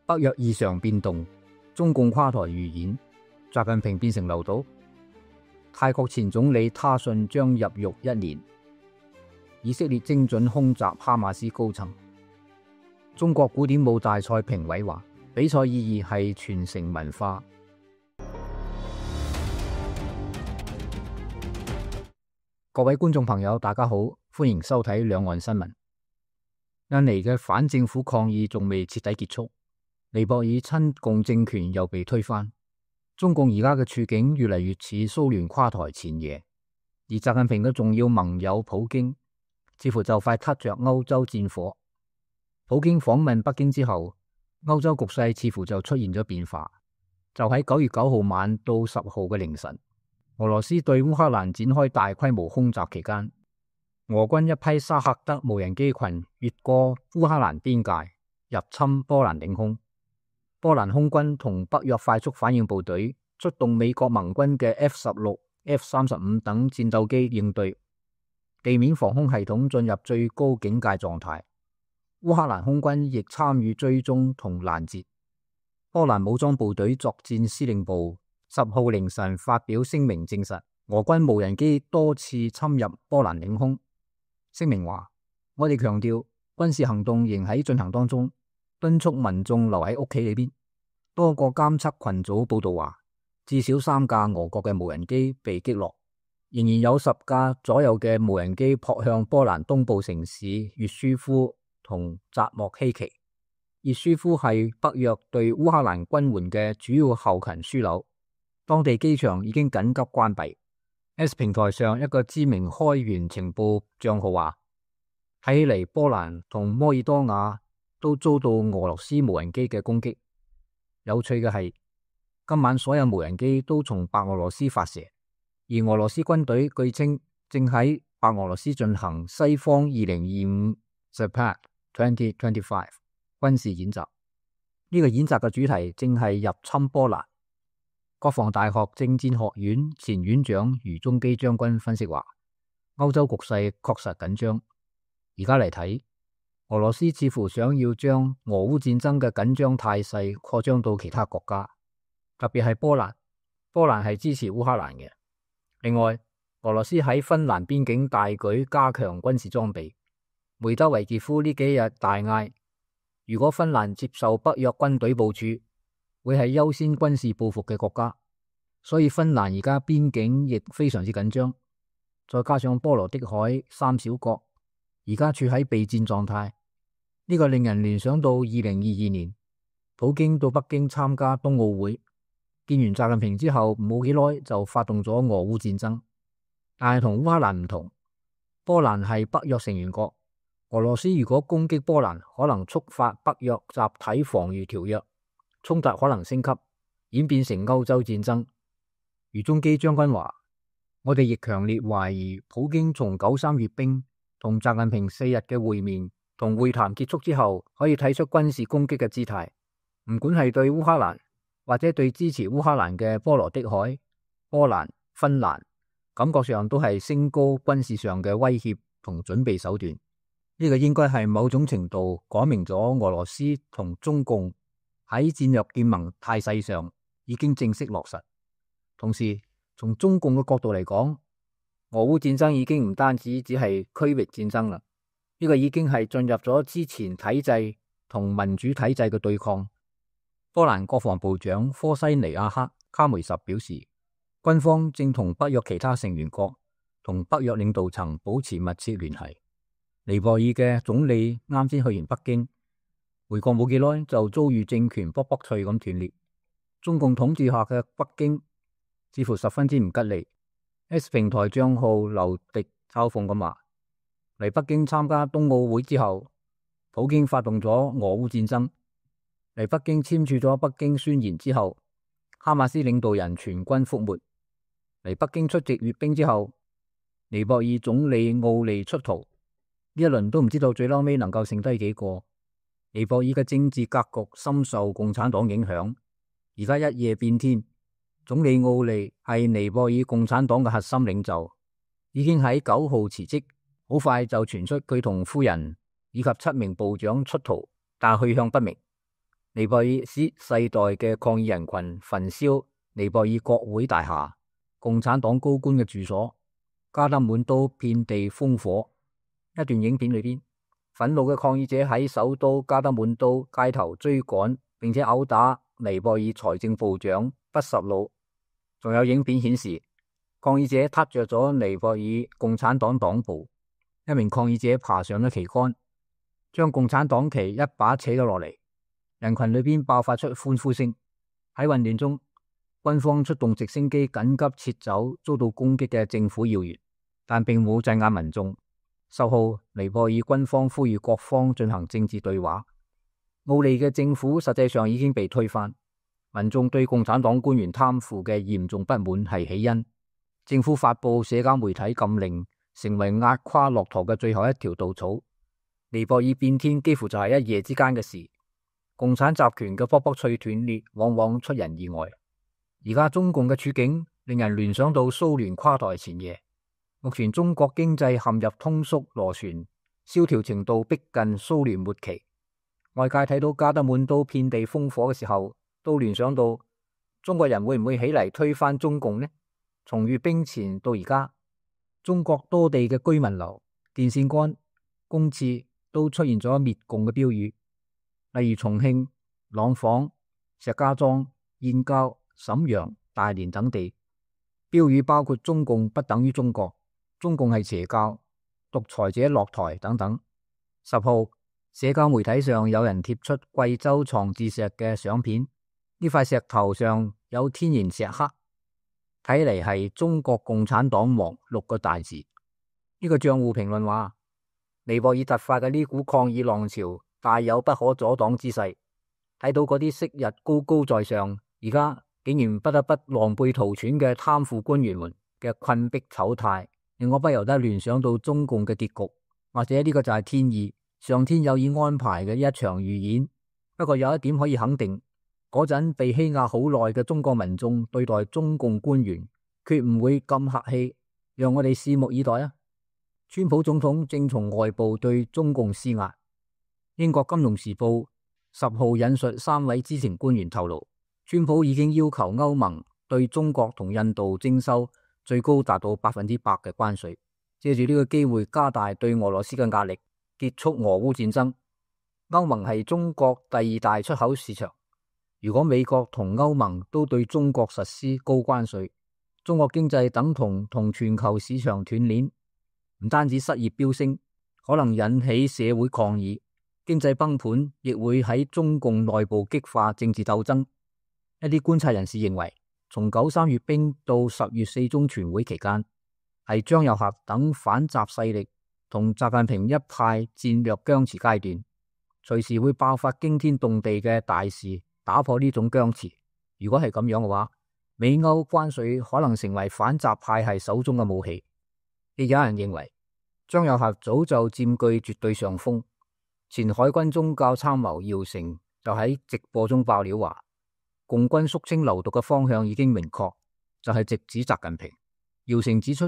北約異常變動，中共垮台預演，習近平變成留島。泰國前總理他信將入獄1年。以色列精準空襲哈馬斯高層。中國古典舞大賽評委話，比賽意義係傳承文化。各位觀眾朋友，大家好，歡迎收睇兩岸新聞。印尼嘅反政府抗議仲未徹底結束，尼泊爾親共政權又被推翻。中共而家嘅處境越嚟越似蘇聯垮台前夜，而習近平嘅重要盟友普京似乎就快撻着歐洲戰火。普京訪問北京之後，歐洲局勢似乎就出現咗變化。就喺9月9號晚到10號嘅凌晨，俄羅斯對烏克蘭展開大規模空襲期間，俄軍一批沙赫德無人機群越過烏克蘭邊界，入侵波蘭領空。波蘭空軍同北約快速反應部隊出動美國盟軍嘅 F-16、F-35等戰鬥機應對，地面防空系統進入最高警戒狀態。烏克蘭空軍亦參與追蹤同攔截。波蘭武裝部隊作戰司令部10號凌晨發表聲明證實，俄軍無人機多次侵入波蘭領空。聲明話：我哋強調軍事行動仍喺進行當中，敦促民眾留喺屋企裏邊。多個監測群組報道話，至少3架俄國嘅無人機被擊落，仍然有10架左右嘅無人機撲向波蘭東部城市越舒夫同扎莫希奇。越舒夫係北約對烏克蘭軍援嘅主要後勤樞紐，當地機場已經緊急關閉。S 平台上一個知名開源情報賬號話，睇起嚟波蘭同摩爾多瓦都遭到俄羅斯無人機嘅攻擊。有趣嘅係，今晚所有無人機都從白俄羅斯發射，而俄羅斯軍隊據稱正喺白俄羅斯進行西方2025 Zapad 2025軍事演習。呢個演習嘅主題正係入侵波蘭。國防大學政戰學院前院長余中基將軍分析話，歐洲局勢確實緊張。而家嚟睇，俄羅斯似乎想要將俄烏戰爭嘅緊張態勢擴張到其他國家，特別係波蘭。波蘭係支持烏克蘭嘅。另外，俄羅斯喺芬蘭邊境大舉加強軍事裝備。梅德韋傑夫呢幾日大嗌，如果芬蘭接受北約軍隊部署，會係優先軍事報復嘅國家。所以芬蘭而家邊境亦非常之緊張。再加上波羅的海3小國而家處喺備戰狀態，呢個令人聯想到2022年普京到北京參加冬奧會，見完習近平之後冇幾耐就發動咗俄烏戰爭。但係同烏克蘭唔同，波蘭係北約成員國，俄羅斯如果攻擊波蘭，可能觸發北約集體防禦條約，衝突可能升級，演變成歐洲戰爭。余中基將軍話，我哋亦強烈懷疑普京從93閱兵同習近平4日嘅會面同會談結束之後，可以睇出軍事攻擊嘅姿態，唔管係對烏克蘭或者對支持烏克蘭嘅波羅的海、波蘭、芬蘭，感覺上都係升高軍事上嘅威脅同準備手段。呢個應該係某種程度講明咗俄羅斯同中共喺戰略結盟態勢上已經正式落實。同時，從中共嘅角度嚟講，俄烏戰爭已經唔單止只係區域戰爭啦，呢個已經係進入咗之前體制同民主體制嘅對抗。波蘭國防部長科西尼亞克卡梅什表示，軍方正同北約其他成員國同北約領導層保持密切聯繫。尼泊爾嘅總理啱先去完北京，回國冇幾耐就遭遇政權卜卜脆咁斷裂。中共統治下嘅北京似乎十分之唔吉利。S 平台賬號劉迪嘲諷咁話，嚟北京參加冬奧會之後，普京發動咗俄烏戰爭。嚟北京簽署咗北京宣言之後，哈馬斯領導人全軍覆沒。嚟北京出席閱兵之後，尼泊爾總理奧利出逃。呢一輪都唔知道最嬲尾能夠剩低幾個。尼泊爾嘅政治格局深受共產黨影響，而家一夜變天。總理奧利係尼泊爾共產黨嘅核心領袖，已經喺9號辭職，好快就傳出佢同夫人以及7名部長出逃，但去向不明。尼泊爾世代嘅抗議人群焚燒尼泊爾國會大廈、共產黨高官嘅住所，加德滿都遍地烽火。一段影片裏邊，憤怒嘅抗議者喺首都加德滿都街頭追趕，並且毆打尼泊爾財政部長畢什魯。仲有影片顯示，抗議者撻着咗尼泊爾共產黨黨部，一名抗議者爬上咗旗杆，將共產黨旗一把扯咗落嚟。人群裏邊爆發出歡呼聲。喺混亂中，軍方出動直升機緊急撤走遭到攻擊嘅政府要員，但並冇鎮壓民眾。10號，尼泊爾軍方呼籲各方進行政治對話。奧利嘅政府實際上已經被推翻，民眾對共產黨官員貪腐嘅嚴重不滿係起因。政府發佈社交媒體禁令，成為壓垮駱駝嘅最後一條稻草。尼泊爾變天幾乎就係一夜之間嘅事。共產集權嘅卜卜脆斷裂往往出人意外。而家中共嘅處境令人聯想到蘇聯垮台前夜。目前中國經濟陷入通縮螺旋，蕭條程度逼近蘇聯末期。外界睇到加德滿都遍地烽火嘅時候，都聯想到中國人會唔會起嚟推翻中共呢？從閱兵前到而家，中國多地嘅居民樓、電線桿、公廁都出現咗滅共嘅標語。例如重慶、廊坊、石家莊、燕郊、瀋陽、大連等地，標語包括中共不等於中國、中共係邪教、獨裁者落台等等。10號，社交媒體上有人貼出貴州床字石嘅相片，呢塊石頭上有天然石刻，睇嚟係中國共產黨亡6個大字。呢個賬戶評論話，尼泊爾突發嘅呢股抗議浪潮大有不可阻擋之勢，睇到嗰啲昔日高高在上，而家竟然不得不狼狽逃竄嘅貪腐官員們嘅困迫醜態，令我不由得聯想到中共嘅結局，或者呢個就係天意，上天有意安排嘅一場預演。不過有一點可以肯定，嗰陣被欺壓好耐嘅中國民眾對待中共官員，決唔會咁客氣，讓我哋拭目以待啊！川普總統正從外部對中共施壓。英國金融時報10號引述3位知情官員透露，川普已經要求歐盟對中國同印度徵收最高達到100%嘅關稅，借住呢個機會加大對俄羅斯嘅壓力，結束俄烏戰爭。歐盟係中國第2大出口市場，如果美國同歐盟都對中國實施高關稅，中國經濟等同全球市場斷鏈，唔單止失業飆升，可能引起社會抗議。經濟崩盤亦會喺中共內部激化政治鬥爭。一啲觀察人士認為，從93閱兵到10月4中全會期間，係張又俠等反習勢力同習近平一派戰略僵持階段，隨時會爆發驚天動地嘅大事，打破呢種僵持。如果係咁樣嘅話，美歐關稅可能成為反習派系手中嘅武器。亦有人認為，張又俠早就佔據絕對上風。前海軍宗教參謀姚成就喺直播中爆料話，共軍肅清流毒嘅方向已經明確，就係直指習近平。姚成指出，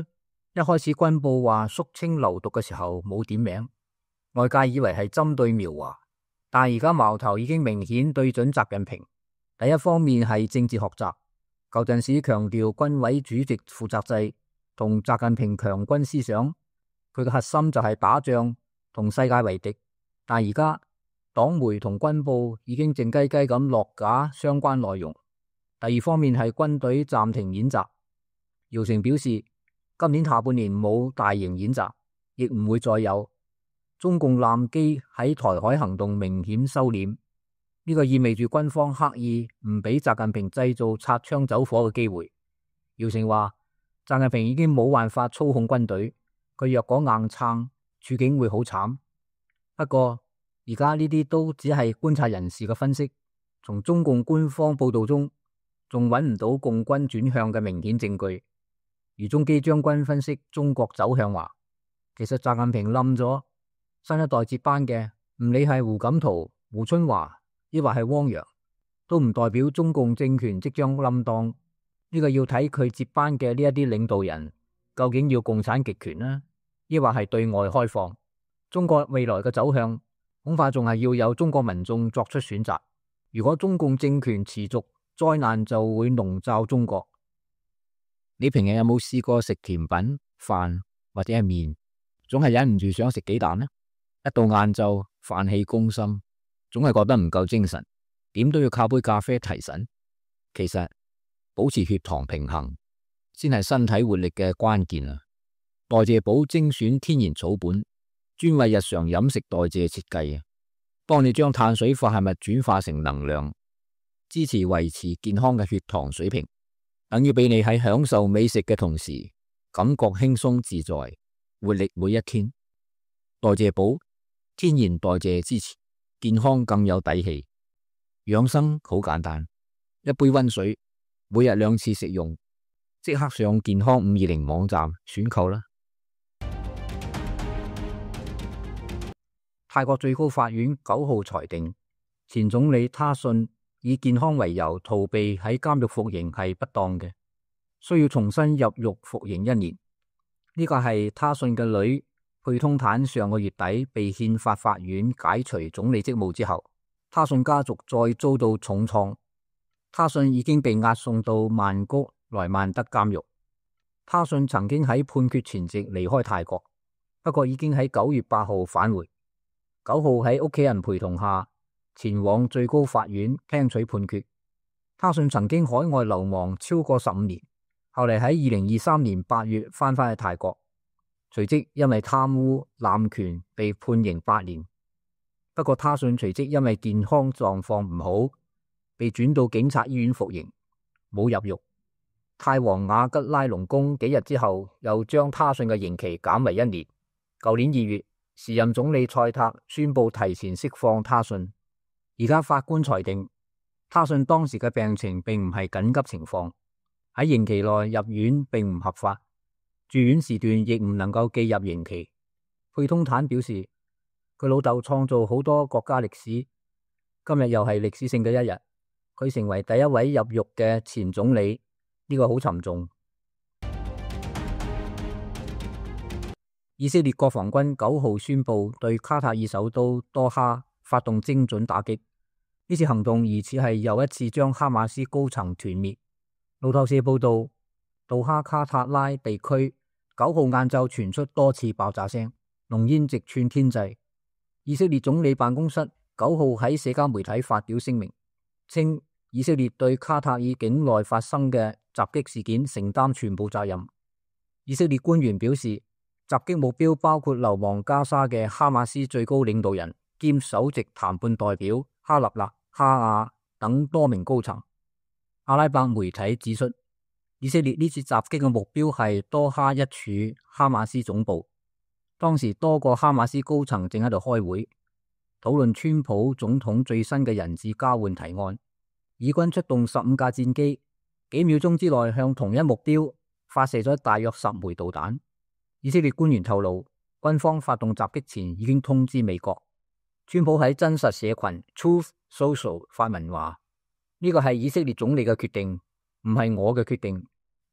一開始軍報話肅清流毒嘅時候冇點名，外界以為係針對苗華，但而家矛頭已經明顯對準習近平。第一方面係政治學習，舊陣時強調軍委主席負責制同習近平強軍思想，佢嘅核心就係打仗同世界為敵。但而家黨媒同軍報已經靜雞雞咁落架相關內容。第二方面係軍隊暫停演習。姚成表示，今年下半年冇大型演習，亦唔會再有。中共艦機喺台海行動明顯收斂，呢個意味住軍方刻意唔俾習近平製造擦槍走火嘅機會。姚成話，習近平已經冇辦法操控軍隊，佢若果硬撐，處境會好慘。不過而家呢啲都只係觀察人士嘅分析，從中共官方報道中仲揾唔到共軍轉向嘅明顯證據。余中基將軍分析中國走向話，其實習近平冧咗，新一代接班嘅唔理係胡錦濤、胡春華抑或係汪洋，都唔代表中共政權即將冧檔。呢個要睇佢接班嘅呢一啲領導人究竟要共產極權呢，抑或係對外開放。中國未來嘅走向恐怕仲係要有中國民眾作出選擇。如果中共政權持續，災難就會籠罩中國。你平日有冇試過食甜品、飯或者係麵，總係忍唔住想食幾啖呢？一到晏晝，飯氣攻心，總係覺得唔夠精神，點都要靠杯咖啡提神。其實保持血糖平衡先係身體活力嘅關鍵啊！代謝寶精選天然草本，專為日常飲食代謝設計啊，幫你將碳水化合物轉化成能量，支持維持健康嘅血糖水平，等於俾你喺享受美食嘅同時，感覺輕鬆自在，活力每一天。代謝寶天然代謝支持，健康更有底氣。養生好簡單，一杯溫水，每日2次食用，即刻上健康520網站選購啦。泰國最高法院9號裁定，前總理他信以健康為由逃避喺監獄服刑係不當嘅，需要重新入獄服刑1年。呢個係他信嘅女佩通坦上個月底被憲法法院解除總理職務之後，他信家族再遭到重創。他信已經被押送到曼谷萊曼德監獄。他信曾經喺判決前夕離開泰國，不過已經喺9月8號返回。9號喺屋企人陪同下前往最高法院聽取判決。他信曾經海外流亡超過15年，後嚟喺2023年8月翻返去泰國，隨即因為貪污濫權被判刑8年。不過他信隨即因為健康狀況唔好，被轉到警察醫院服刑，冇入獄。泰皇瓦吉拉隆功幾日之後又將他信嘅刑期減為1年。舊年2月，時任總理蔡塔宣布提前釋放他信。而家法官裁定，他信當時嘅病情並唔係緊急情況，喺刑期內入院並唔合法，住院時段亦唔能夠記入刑期。佩通坦表示，佢老豆創造好多國家歷史，今日又係歷史性嘅一日，佢成為第一位入獄嘅前總理，呢個好沉重。以色列國防軍9號宣布對卡塔爾首都多哈發動精準打擊，呢次行動疑似係又一次將哈馬斯高層團滅。路透社報道，杜哈卡塔拉地區9號晏晝傳出多次爆炸聲，濃煙直串天際。以色列總理辦公室9號喺社交媒體發表聲明，稱以色列對卡塔爾境內發生嘅襲擊事件承擔全部責任。以色列官員表示，襲擊目標包括流亡加沙嘅哈馬斯最高領導人兼首席談判代表哈納勒哈亞等多名高層。阿拉伯媒體指出，以色列呢次襲擊嘅目標係多哈一處哈馬斯總部。當時多個哈馬斯高層正喺度開會，討論川普總統最新嘅人質交換提案。以軍出動15架戰機，幾秒鐘之內向同一目標發射咗大約10枚導彈。以色列官員透露，軍方發動襲擊前已經通知美國。川普喺真實社群 Truth Social 發文話，呢個係以色列總理嘅決定，唔係我嘅決定。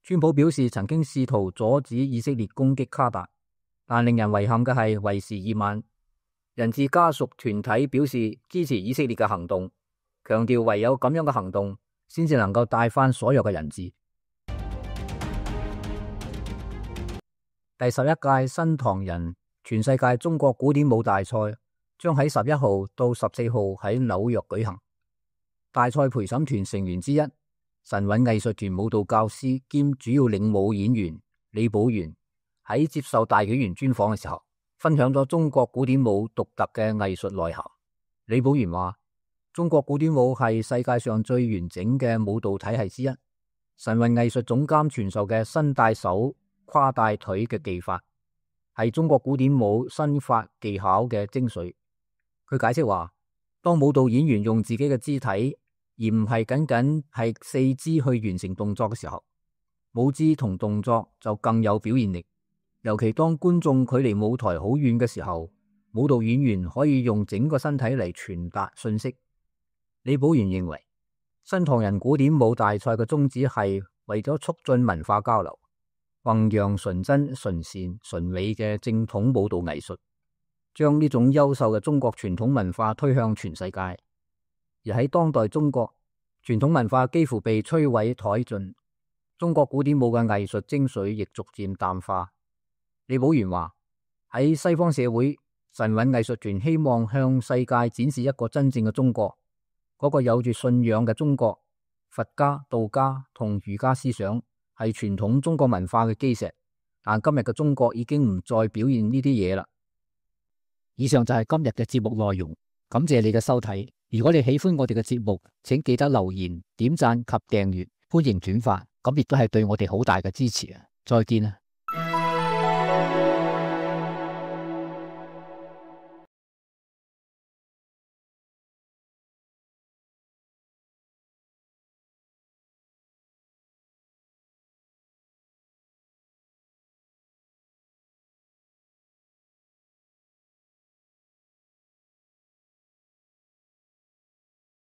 川普表示曾經試圖阻止以色列攻擊卡達，但令人遺憾嘅係為時已晚。人質家屬團體表示支持以色列嘅行動，強調唯有咁樣嘅行動先至能夠帶翻所有嘅人質。第11屆新唐人全世界中國古典舞大賽將喺11號到14號喺紐約舉行。大賽陪審團成員之一，神韻藝術團舞蹈教師兼主要領舞演員李寶源喺接受大紀元專訪嘅時候，分享咗中國古典舞獨特嘅藝術內涵。李寶源話，中國古典舞係世界上最完整嘅舞蹈體系之一，神韻藝術總監傳授嘅伸帶手跨帶腿嘅技法係中國古典舞身法技巧嘅精髓。佢解釋話，當舞蹈演員用自己嘅肢體而唔係僅僅係四肢去完成動作嘅時候，舞姿同動作就更有表現力。尤其當觀眾距離舞台好遠嘅時候，舞蹈演員可以用整個身體嚟傳達信息。李寶源認為，新唐人古典舞大賽嘅宗旨係為咗促進文化交流，弘揚純真、純善、純美嘅正統舞蹈藝術，將呢種優秀嘅中國傳統文化推向全世界。而喺當代中國，傳統文化幾乎被摧毀殆盡，中國古典舞嘅藝術精髓亦逐漸淡化。李寶元話：喺西方社會，神韻藝術團希望向世界展示一個真正嘅中國，嗰個有住信仰嘅中國。佛家、道家同儒家思想係傳統中國文化嘅基石，但今日嘅中國已經唔再表現呢啲嘢啦。以上就係今日嘅節目內容，感謝你嘅收睇。如果你喜歡我哋嘅節目，請記得留言、點讚及訂閱，歡迎轉發，咁亦都係對我哋好大嘅支持啊！再見啊！